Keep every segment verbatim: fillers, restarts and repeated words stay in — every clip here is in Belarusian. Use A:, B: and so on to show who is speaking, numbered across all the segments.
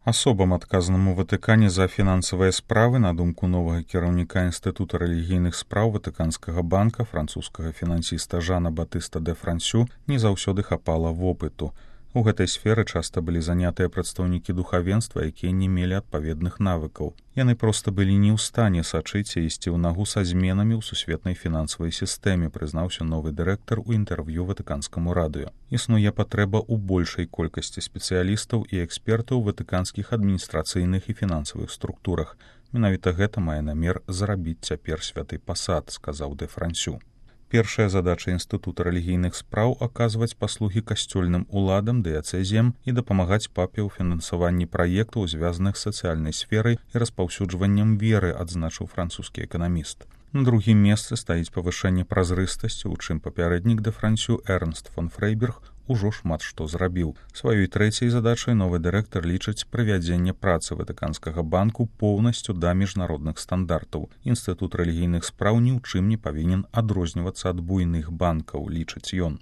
A: Асобам, адказаным у Ватыкане за фінансавыя справы, на думку новага кіраўніка Інстытута рэлігійных спраў Ватыканскага банка, французскага фінансіста Жана Батыста де Франсю, не заўсёды хапала вопыту. У гэтай сферы часта былі занятыя прадстаўнікі духавенства, якія не мелі адпаведных навыкаў. Яны проста былі не ў стане сачыць і ісці ў нагу са зменамі ў сусветнай фінансавай сістэме, прызнаўся новы дырэктар у інтэрв'ю Ватыканскаму радыё. Існуе патрэба ў большай колькасці спецыялістаў і экспертаў у ватыканскіх адміністрацыйных і фінансавых структурах. Менавіта гэта мае намер зарабіць цяпер святы пасад, сказаў де Франсю. Першая задача Інстытута рэлігійных спраў аказваць паслугі касцёльным уладам, дыяцэзіям і дапамагаць папе ў фінансаванні праектаў, звязаных з сацыяльнай сферай і распаўсюджваннем веры, адзначыў французскі эканаміст. На другім месцы стаіць павышэнне празрыстасці, у чым папярэднік де Франсю Эрнст фон Фрэйберг ужо шмат што зрабіў. Сваёй трэцяй задачай новы дырэктар лічыць прывядзенне працы Ватыканскага банку поўнасцю да міжнародных стандартаў. Інстытут рэлігійных спраў ні ў чым не павінен адрознівацца ад буйных банкаў, лічыць ён.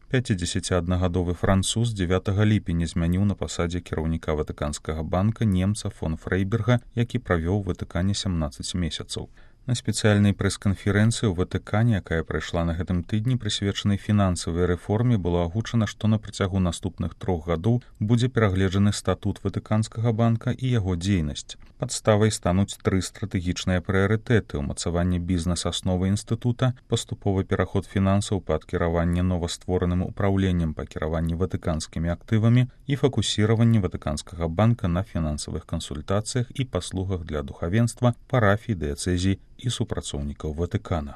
A: пяцідзесяціаднагадовы француз дзевятага ліпеня змяніў на пасадзе кіраўніка Ватыканскага банка немца фон Фрэйберга, які правёў у Ватыкане сямнаццаць месяцаў. На спецыяльнай прэс-канферэнцыі ў Ватыкане, якая прайшла на гэтым тыдні, прысвечанай фінансавай рэформе, было агучана, што на працягу наступных трох гадоў будзе перагледжаны статут Ватыканскага банка і яго дзейнасць. Падставай стануць тры стратэгічныя прыярытэты: ўмацаванне бізнес-асновы інстытута, паступовы пераход фінансаў пад кіраванне новаствораным упраўленнем па кіраванні ватыканскімі актывамі і фокусіраванне Ватыканскага банка на фінансавых кансультацыях і паслугах для духавенства, парафій, дыяцэзій і супрацоўнікаў Ватыкана.